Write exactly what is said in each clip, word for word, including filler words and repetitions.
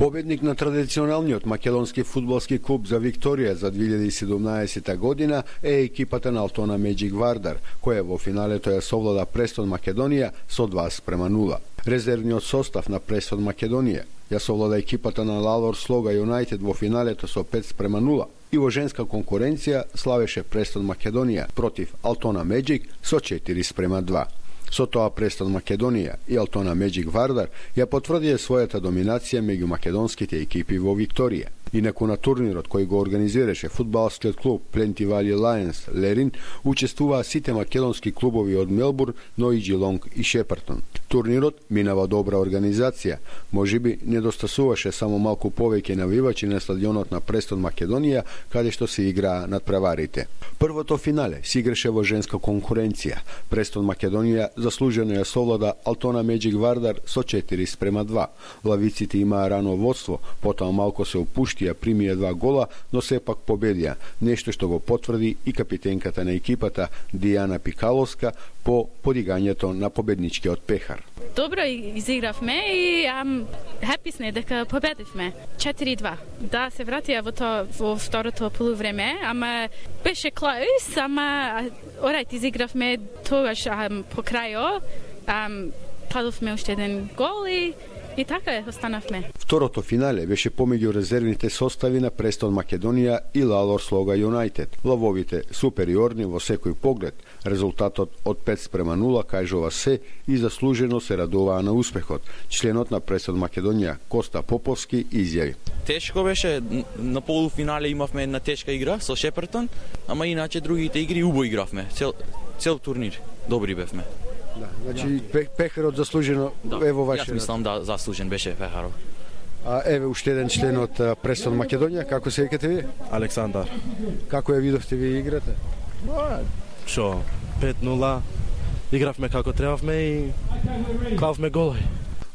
Победник на традиционалниот македонски фудбалски клуб за Викторија за две илјади и седумнаесета година е екипата на Алтона Меджик Вардар, која во финалето ја совлада Престон Македонија со два спрема нула. Резервниот состав на Престон Македонија ја совлада екипата на Лалор Слога Юнайтед во финалето со пет спрема нула и во женска конкуренција славеше Престон Македонија против Алтона Меджик со четири спрема два. Со тоа Престон Македонија и Алтона Меджик Вардар ја потврдија својата доминација меѓу македонските екипи во Викторија. Инаку на турнирот кој го организираше фудбалскиот клуб Пленти Вали Лајнс Лерин учествуваа сите македонски клубови од Мелбурн, но и Джилонг и Шепартон. Турнирот минава добра организација, можеби недостасуваше само малку повеќе навивачи на стадионот на Престон Македонија, каде што се играа надпреварите. Првото финале се играше во женска конкуренција. Престон Македонија заслужено ја совлада Алтона Меджик Вардар со четири спрема два. Лавиците имаа рано водство, потоа малку се опуштија, примија два гола, но сепак победија, нешто што го потврди и капитенката на екипата Дијана Пикаловска по подигањето на победничкиот пехар. Добро изигравме и ам happy сме дека победивме. четири два. Да, се вратија во тоа во второто полувреме, ама беше close, ама орайт изигравме тогаш ам, по крајот, ам падовме уште еден гол и И така е, останавме. Второто финале беше помеѓу резервните состави на Престон Македонија и Лалор Слога Юнайтед. Лавовите супериорни во секој поглед. Резултатот од пет спрема нула кажува се и заслужено се радуваа на успехот. Членот на Престон Македонија Коста Поповски изјави: Тешко беше, на полуфинале имавме една тешка игра со Шепартон, ама иначе другите игри убаво игравме. Цел цел турнир добри бевме. Да, значи пехарот заслужено да, е во вашиот. Јас мислам да заслужен беше пехарот. А еве уште еден член од Престон Македонија, како се викате ви? Александар. Како ја видовте ви играта? Шо, пет нула. Игравме како требавме и клавме голови.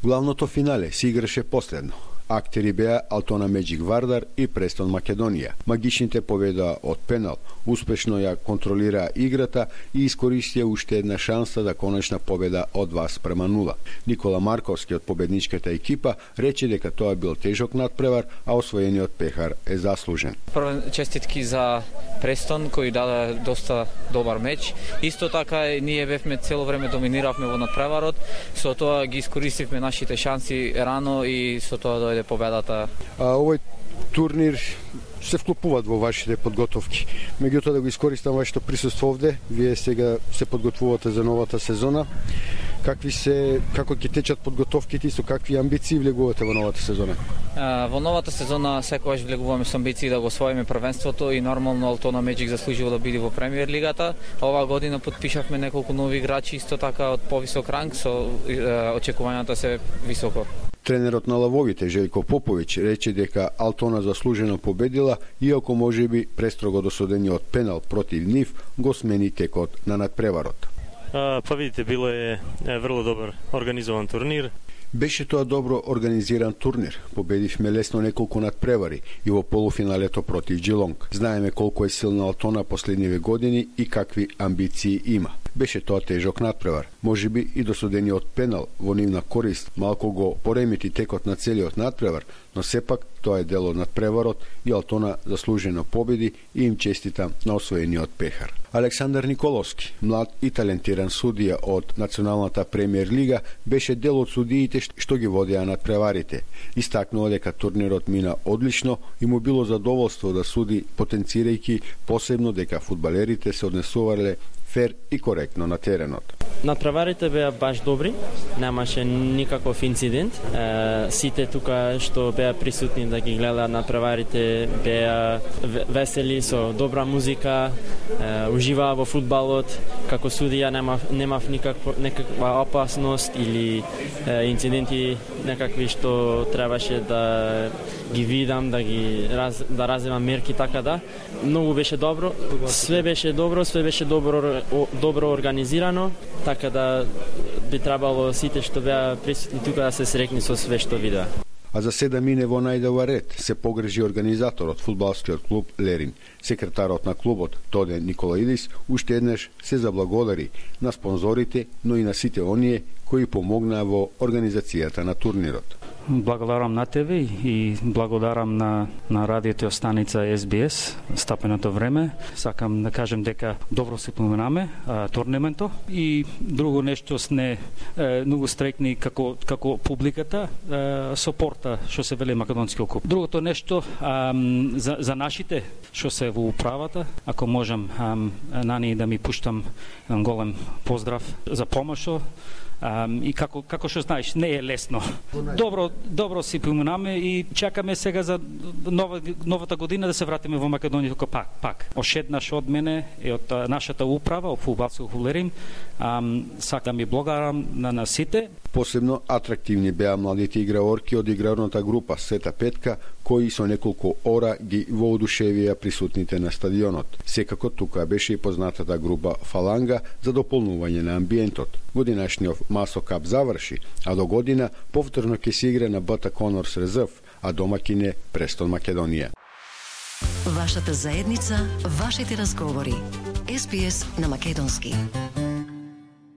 Главното финале се играше последно. Актери беа Алтона Меджик Вардар и Престон Македонија. Магичните победаа од пенал, успешно ја контролираа играта и искористија уште една шанса за конечна победа од два спрема нула. Никола Марковски од победничката екипа рече дека тоа бил тежок надпревар, а освоениот пехар е заслужен. Прво честитки за Престон кој даде доста добар меч. Исто така ние бевме цело време доминиравме во надпреварот, со тоа ги искористивме нашите шанси рано и со тоа дојде победата. А овој турнир се вклопуваат во вашите подготовки. Меѓутоа да го искористам вашето присуство овде, вие сега се подготвувате за новата сезона. Какви се како ќе течат подготовките и со какви амбиции влегувате во новата сезона? А, во новата сезона секогаш влегуваме со амбиции да го освоиме првенството и нормално Алтона Меджик заслужува да биде во премиер лигата. Оваа година потпишавме неколку нови играчи исто така од повисок ранг, со е, очекувањата се високо. Тренерот на лавовите Желко Поповиќ рече дека Алтона заслужено победила, иако можеби престрого досудениот пенал против нив го смени текот на надпреварот. А, па видите, било е, е врло добар организован турнир. Беше тоа добро организиран турнир. Победивме лесно неколку надпревари и во полуфиналето против Джилонг. Знаеме колку е силна Алтона последниве години и какви амбиции има. Беше тоа тежок надпревар. Можеби и досудениот пенал во нивна корист малку го поремети текот на целиот надпревар, но сепак тоа е дел од надпреварот и Алтона заслужено победи и им честита на освоениот пехар. Александар Николовски, млад и талентиран судија од Националната премиер лига, беше дел од судиите што ги водеа надпреварите. Истакнува дека турнирот мина одлично и му било задоволство да суди, потенцирајќи посебно дека фудбалерите се однесувале фер и коректно на теренот. Надпреварите беа баш добри, немаше никаков инцидент. Е, сите тука што беа присутни да ги гледаат надпреварите беа весели со добра музика, е, уживаа во фудбалот. Како судија немав немав никаква некаква опасност или е, инциденти некакви што требаше да ги видам, да ги раз, да раземам мерки, така да. Многу беше добро, све беше добро, све беше добро добро организирано, така да би требало сите што беа присутни тука да се срекни со све што видеа. А за седа мине во најдова ред се погрежи организаторот фудбалскиот клуб Лерин. Секретарот на клубот Тоде Николаидис уште еднаш се заблагодари на спонзорите, но и на сите оние кои помогнаа во организацијата на турнирот. Благодарам на тебе и благодарам на, на радиото станица Ес Би Ес, стапеното време. Сакам да кажем дека добро се поминаме а, турнементо и друго нешто сне е, многу стрекни како, како публиката е, сопорта што се вели македонски куп. Другото нешто а, за, за нашите што се во управата, ако можам а, на ни да ми пуштам еден голем поздрав за помошо. Um, и како како што знаеш, не е лесно. Добро, добро си поминаме и чекаме сега за нова, новата година да се вратиме во Македонија како пак, пак. Ошеднаш од мене и од нашата управа, од фудбалско хулерим, um, сакам да ми благодарам на, на сите. Посебно атрактивни беа младите играорки од играрната група Света Петка, кои со неколку ора ги воодушевија присутните на стадионот. Секако тука беше и познатата група Фаланга за дополнување на амбиентот. Годинашниот Масо Кап заврши, а до година повторно ќе се игра на Бата Конорс Резерв, а домакин е Престон Македонија. Вашата заедница, вашите разговори. Ес Би Ес на македонски.